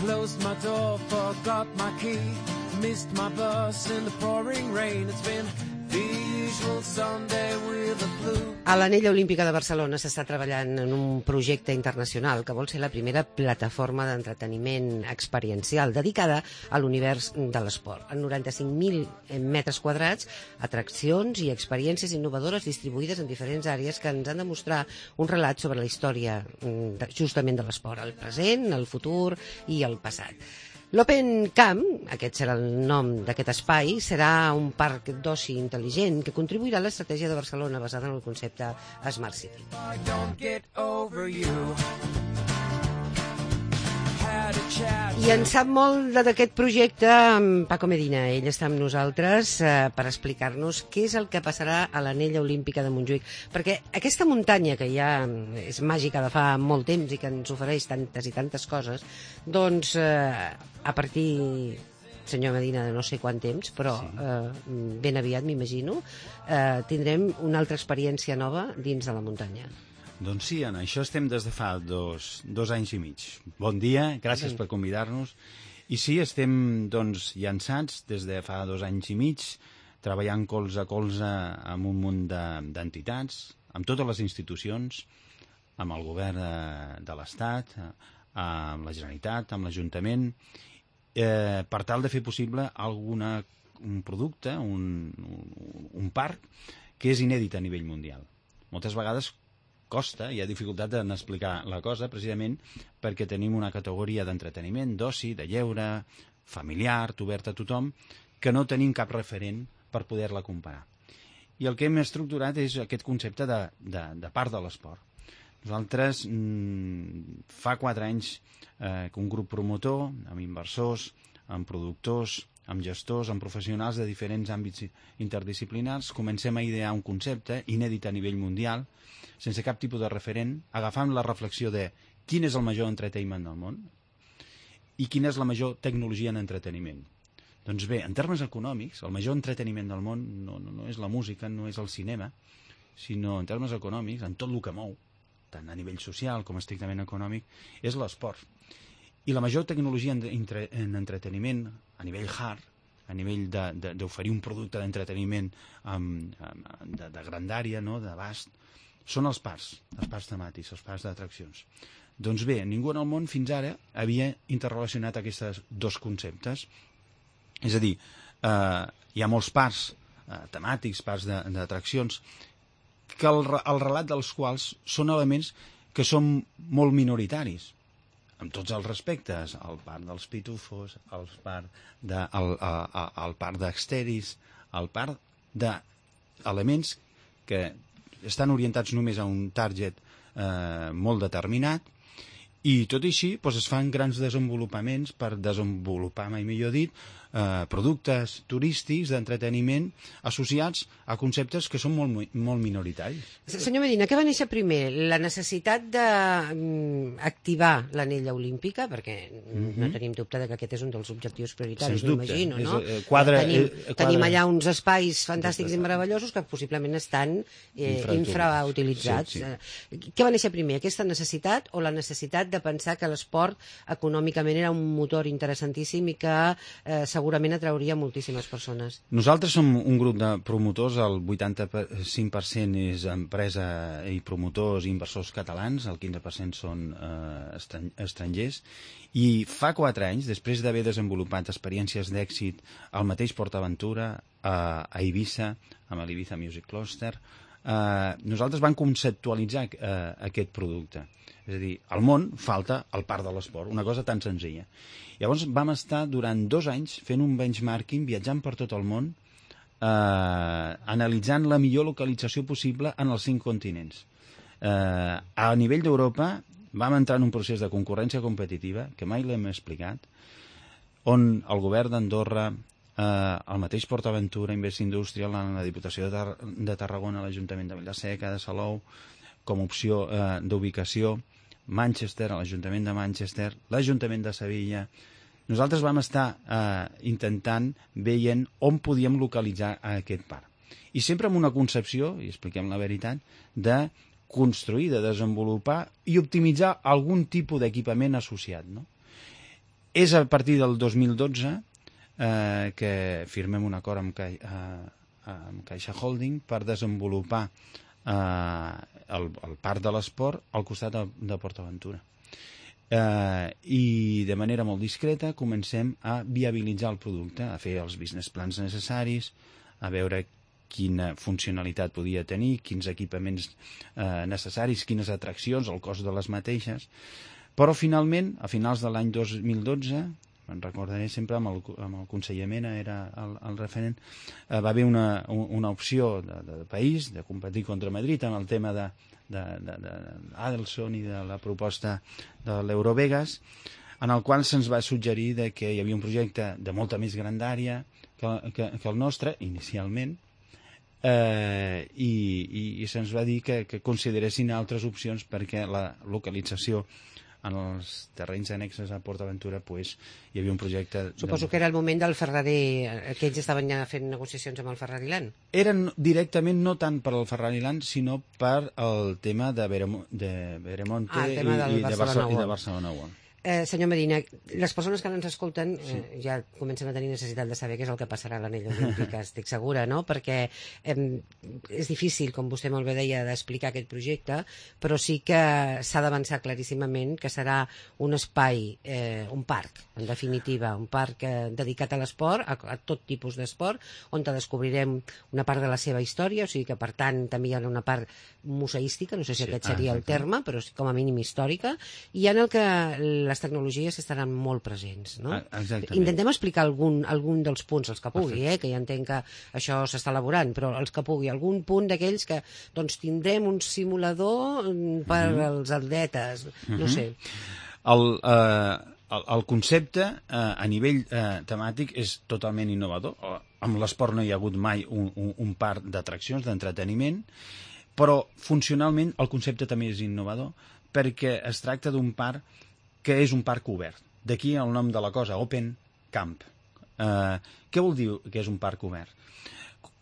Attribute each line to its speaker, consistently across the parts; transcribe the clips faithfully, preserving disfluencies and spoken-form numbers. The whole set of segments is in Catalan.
Speaker 1: Closed my door, forgot my key, missed my bus in the pouring rain. It's been the usual Sunday with the blue.
Speaker 2: A l'Anella Olímpica de Barcelona s'està treballant en un projecte internacional que vol ser la primera plataforma d'entreteniment experiencial dedicada a l'univers de l'esport. En noranta-cinc mil metres quadrats, atraccions i experiències innovadores distribuïdes en diferents àrees que ens han de mostrar un relat sobre la història justament de l'esport, el present, el futur i el passat. L'Open Camp, aquest serà el nom d'aquest espai, serà un parc d'oci intel·ligent que contribuirà a l'estratègia de Barcelona basada en el concepte Smart City. I en sap molt d'aquest projecte en Paco Medina. Ell està amb nosaltres eh, per explicar-nos què és el que passarà a l'Anella Olímpica de Montjuïc. Perquè aquesta muntanya que ja és màgica de fa molt temps i que ens ofereix tantes i tantes coses, doncs eh, a partir, senyor Medina, de no sé quant temps, però eh, ben aviat, m'imagino, eh, tindrem una altra experiència nova dins de la muntanya.
Speaker 3: Doncs sí, en això estem des de fa dos, dos anys i mig. Bon dia, gràcies per convidar-nos. I sí, estem doncs, llançats des de fa dos anys i mig, treballant colze a colze amb un munt d'entitats, amb totes les institucions, amb el govern de, de l'Estat, amb la Generalitat, amb l'Ajuntament, eh, per tal de fer possible alguna, un producte, un, un, un parc que és inèdit a nivell mundial. Moltes vegades costa, hi ha dificultat en explicar la cosa, precisament perquè tenim una categoria d'entreteniment, d'oci, de lleure, familiar, obert a tothom, que no tenim cap referent per poder-la comparar. I el que hem estructurat és aquest concepte de, de, de part de l'esport. Nosaltres, mmm, fa quatre anys eh, que un grup promotor, amb inversors, amb productors, amb gestors, amb professionals de diferents àmbits interdisciplinars, comencem a idear un concepte inèdit a nivell mundial, sense cap tipus de referent, agafant la reflexió de quin és el major entertainment del món i quina és la major tecnologia en entreteniment. Doncs bé, en termes econòmics, el major entreteniment del món no, no, no és la música, no és el cinema, sinó en termes econòmics, en tot el que mou, tant a nivell social com estrictament econòmic, és l'esport. I la major tecnologia en, entre, en entreteniment, a nivell hard, a nivell d'oferir un producte d'entreteniment de, de grandària, no?, d'abast, són els parcs, els parcs temàtics, els parcs d'atraccions. Doncs bé, ningú en el món fins ara havia interrelacionat aquests dos conceptes. És a dir, eh, hi ha molts parcs eh, temàtics, parcs d'atraccions, que el, el relat dels quals són elements que són molt minoritaris, amb tots els respectes, el parc dels pitufos, el parc de, el, el, el parc d'Exteris, el parc d'elements que estan orientats només a un target eh, molt determinat, i tot i així doncs, es fan grans desenvolupaments per desenvolupar, mai millor dit, eh, productes turístics d'entreteniment associats a conceptes que són molt, molt minoritaris.
Speaker 2: Senyor Medina, què va néixer primer? La necessitat d'activar l'Anella Olímpica, perquè mm-hmm. no tenim dubte que aquest és un dels objectius prioritaris, m'imagino, no? És, eh, quadre, tenim, eh, quadre... tenim allà uns espais fantàstics i meravellosos que possiblement estan eh, infrautilitzats. Sí, sí. Què va néixer primer? Aquesta necessitat o la necessitat de pensar que l'esport econòmicament era un motor interessantíssim i que eh, segurament atrauria moltíssimes persones?
Speaker 3: Nosaltres som un grup de promotors, el vuitanta-cinc per cent és empresa i promotors i inversors catalans, el quinze per cent són eh, estrangers, i fa quatre anys, després d'haver desenvolupat experiències d'èxit al mateix PortAventura, a, a Eivissa, amb l'Ibiza Music Cluster, eh, nosaltres vam conceptualitzar eh, aquest producte. És a dir, al món falta el parc de l'esport, una cosa tan senzilla. Llavors vam estar durant dos anys fent un benchmarking, viatjant per tot el món, eh, analitzant la millor localització possible en els cinc continents. Eh, a nivell d'Europa vam entrar en un procés de concurrència competitiva, que mai l'hem explicat, on el govern d'Andorra, eh, el mateix PortAventura, Invest Industrial, la Diputació de, Tar de Tarragona, l'Ajuntament de Vila-seca, de Salou, com a opció eh, d'ubicació, Manchester, l'Ajuntament de Manchester, l'Ajuntament de Sevilla. Nosaltres vam estar eh, intentant, veient on podíem localitzar aquest parc. I sempre amb una concepció, i expliquem la veritat, de construir, de desenvolupar i optimitzar algun tipus d'equipament associat, no? És a partir del dos mil dotze eh, que firmem un acord amb, Ca eh, amb Caixa Holding per desenvolupar eh, el, el parc de l'esport al costat de, de PortAventura. Eh, I de manera molt discreta comencem a viabilitzar el producte, a fer els business plans necessaris, a veure quina funcionalitat podia tenir, quins equipaments eh, necessaris, quines atraccions, el cost de les mateixes. Però finalment, a finals de l'any dos mil dotze, me'n recordaré sempre amb el, amb el conseller Mena, era el, el referent, eh, va haver una, una opció de, de país de competir contra Madrid en el tema de, de, de, de Adelson i de la proposta de l'Eurovegas, en el qual se'ns va suggerir de que hi havia un projecte de molta més grandària que, que, que el nostre, inicialment, eh, i, i, i se'ns va dir que, que consideressin altres opcions perquè la localització en els terrenys annexes a PortAventura pues, hi havia un projecte...
Speaker 2: Suposo de... que era el moment del Ferrari, que ells estaven ja fent negociacions amb el Ferrari Land.
Speaker 3: Eren directament no tant per al Ferrari Land, sinó per al tema de, Veremo... de Veremonte
Speaker 2: ah, i, i, de Barcelona
Speaker 3: i de Barcelona World.
Speaker 2: Eh, senyor Medina, les persones que ens escolten eh, sí. ja comencen a tenir necessitat de saber què és el que passarà a l'anell olímpic, estic segura, no? Perquè eh, és difícil, com vostè molt bé deia, d'explicar aquest projecte, però sí que s'ha d'avançar claríssimament que serà un espai, eh, un parc, en definitiva, un parc eh, dedicat a l'esport, a, a tot tipus d'esport, on descobrirem una part de la seva història, o sigui que, per tant, també hi ha una part museística, no sé si sí. aquest seria ah, el terme, però com a mínim històrica, i en el que les tecnologies estaran molt presents, no?
Speaker 3: Exactament.
Speaker 2: Intentem explicar algun, algun dels punts, els que pugui, eh? Que ja entenc que això s'està elaborant, però els que pugui, algun punt d'aquells que doncs, tindrem un simulador per uh -huh. als atletes, no uh -huh. sé.
Speaker 3: El, eh, el, el concepte eh, a nivell eh, temàtic és totalment innovador. Amb l'esport no hi ha hagut mai un, un, un parc d'atraccions, d'entreteniment, però funcionalment el concepte també és innovador perquè es tracta d'un parc que és un parc obert. D'aquí el nom de la cosa, Open Camp. Eh, què vol dir que és un parc obert?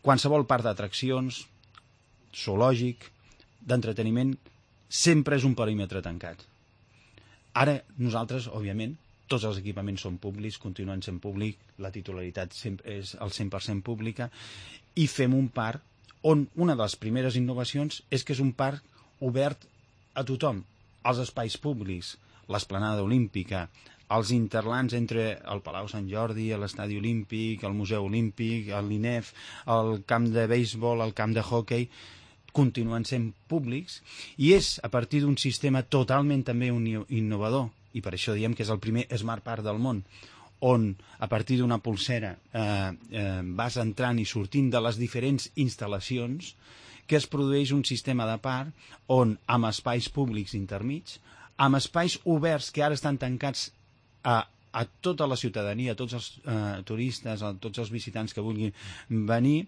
Speaker 3: Qualsevol parc d'atraccions, zoològic, d'entreteniment, sempre és un perímetre tancat. Ara, nosaltres, òbviament, tots els equipaments són públics, continuen sent públics, la titularitat és al cent per cent pública, i fem un parc on una de les primeres innovacions és que és un parc obert a tothom, als espais públics, l'esplanada olímpica, els interlands entre el Palau Sant Jordi, l'Estadi Olímpic, el Museu Olímpic, l'I N E F, el camp de béisbol, el camp de hoquei, continuen sent públics, i és a partir d'un sistema totalment també innovador, i per això diem que és el primer Smart Park del món, on a partir d'una pulsera eh, eh, vas entrant i sortint de les diferents instal·lacions, que es produeix un sistema de parc on, amb espais públics intermits, amb espais oberts que ara estan tancats a, a tota la ciutadania, a tots els eh, turistes, a tots els visitants que vulguin venir,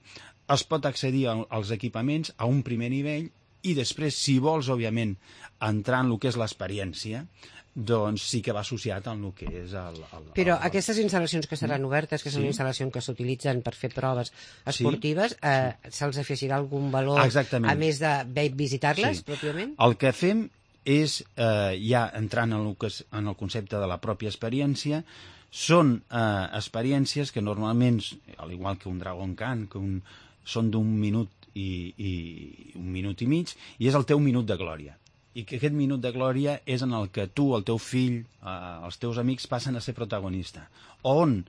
Speaker 3: es pot accedir a, als equipaments a un primer nivell i després, si vols, òbviament, entrar en el que és l'experiència, doncs sí que va associat amb el que és el... el
Speaker 2: Però
Speaker 3: el,
Speaker 2: aquestes instal·lacions que seran obertes, que són sí. instal·lacions que s'utilitzen per fer proves esportives, sí. eh, se'ls afegirà algun valor,
Speaker 3: exactament,
Speaker 2: a més de visitar-les, sí. pròpiament?
Speaker 3: El que fem és, eh, ja entrant en el, que és, en el concepte de la pròpia experiència, són eh, experiències que normalment, al igual que un Dragon Khan, que un, són d'un minut i, i un minut i mig, i és el teu minut de glòria. I que aquest minut de glòria és en el que tu, el teu fill, eh, els teus amics passen a ser protagonista. On,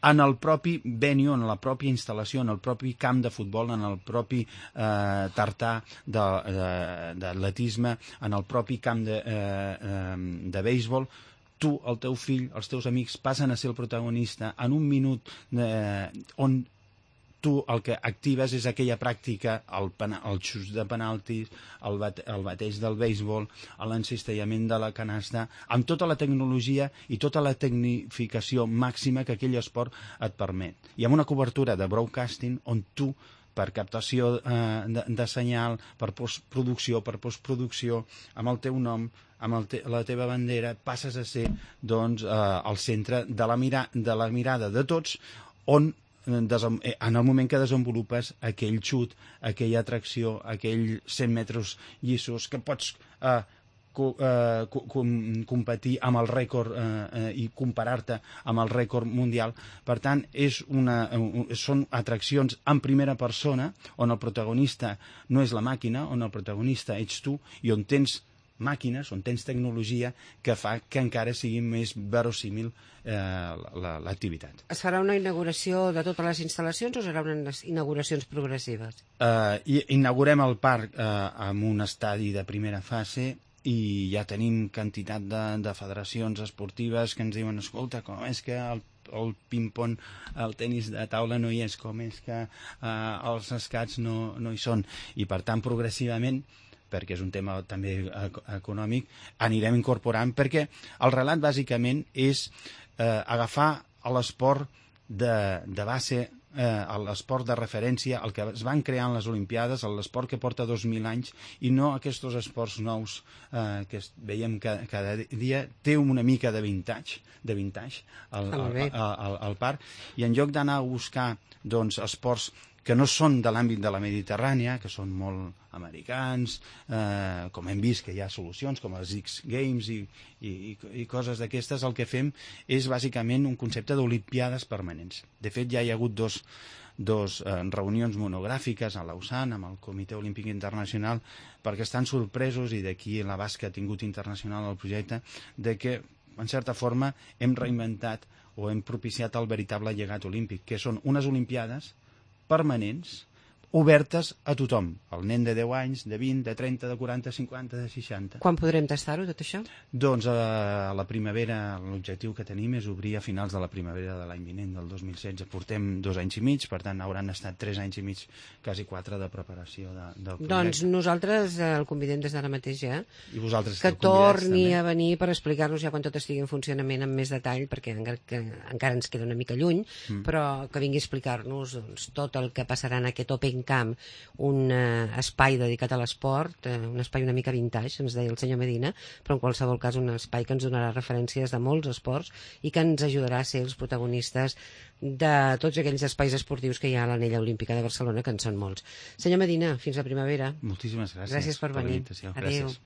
Speaker 3: en el propi venue, en la pròpia instal·lació, en el propi camp de futbol, en el propi eh, tartà d'atletisme, en el propi camp de, eh, eh, de béisbol, tu, el teu fill, els teus amics passen a ser el protagonista en un minut eh, on tu el que actives és aquella pràctica, el, el xut de penaltis, el, bate, el bateig del béisbol, l'encistellament de la canasta, amb tota la tecnologia i tota la tecnificació màxima que aquell esport et permet. I amb una cobertura de broadcasting on tu, per captació eh, de, de senyal, per postproducció, per postproducció, amb el teu nom, amb el te la teva bandera, passes a ser doncs, eh, el centre de la, mira de la mirada de tots, on en el moment que desenvolupes aquell xut, aquella atracció, aquell cent metres llissos, que pots eh, co eh, co com competir amb el rècord eh, eh, i comparar-te amb el rècord mundial. Per tant, és una, són atraccions en primera persona, on el protagonista no és la màquina, on el protagonista ets tu, i on tens màquines, on tens tecnologia que fa que encara sigui més verossímil eh, l'activitat.
Speaker 2: Es farà una inauguració de totes les instal·lacions o seran unes inauguracions progressives?
Speaker 3: Eh, inaugurem el parc eh, amb un estadi de primera fase i ja tenim quantitat de, de federacions esportives que ens diuen, escolta, com és que el el ping-pong, el tenis de taula no hi és, com és que eh, els escacs no, no hi són. I per tant, progressivament, perquè és un tema també econòmic, anirem incorporant, perquè el relat bàsicament és eh, agafar l'esport de, de base, eh, l'esport de referència, el que es van crear en les Olimpiades, l'esport que porta dos mil anys, i no aquests esports nous eh, que veiem que cada dia té una mica de vintage, de vintage al, al, al, al, al parc, i en lloc d'anar a buscar doncs, esports que no són de l'àmbit de la Mediterrània, que són molt americans, eh, com hem vist que hi ha solucions com els X Games i, i, i coses d'aquestes, el que fem és bàsicament un concepte d'olimpiades permanents. De fet, ja hi ha hagut dos, dos eh, reunions monogràfiques a Lausanne amb el Comitè Olímpic Internacional, perquè estan sorpresos, i d'aquí l'abast que ha tingut internacional el projecte, de que, en certa forma, hem reinventat o hem propiciat el veritable llegat olímpic, que són unes olimpiades permanents, obertes a tothom. El nen de deu anys, de vint, de trenta, de quaranta, cinquanta, de seixanta.
Speaker 2: Quan podrem tastar-ho, tot això?
Speaker 3: Doncs a la primavera, l'objectiu que tenim és obrir a finals de la primavera de l'any vinent, del dos mil setze. Portem dos anys i mig, per tant hauran estat tres anys i mig, quasi quatre, de preparació de, del projecte.
Speaker 2: Doncs nosaltres el convidem des d'ara mateix ja,
Speaker 3: I vosaltres
Speaker 2: que torni a venir per explicar-nos ja quan tot estigui en funcionament amb més detall, perquè encara, que, encara ens queda una mica lluny, mm. però que vingui a explicar-nos doncs, tot el que passarà en aquest Open Camp, un eh, espai dedicat a l'esport, eh, un espai una mica vintage, ens deia el senyor Medina, però en qualsevol cas un espai que ens donarà referències de molts esports i que ens ajudarà a ser els protagonistes de tots aquells espais esportius que hi ha a l'Anella Olímpica de Barcelona, que en són molts. Senyor Medina, fins la primavera.
Speaker 3: Moltíssimes gràcies.
Speaker 2: Gràcies per venir.
Speaker 3: Per
Speaker 2: Adéu.
Speaker 3: gràcies.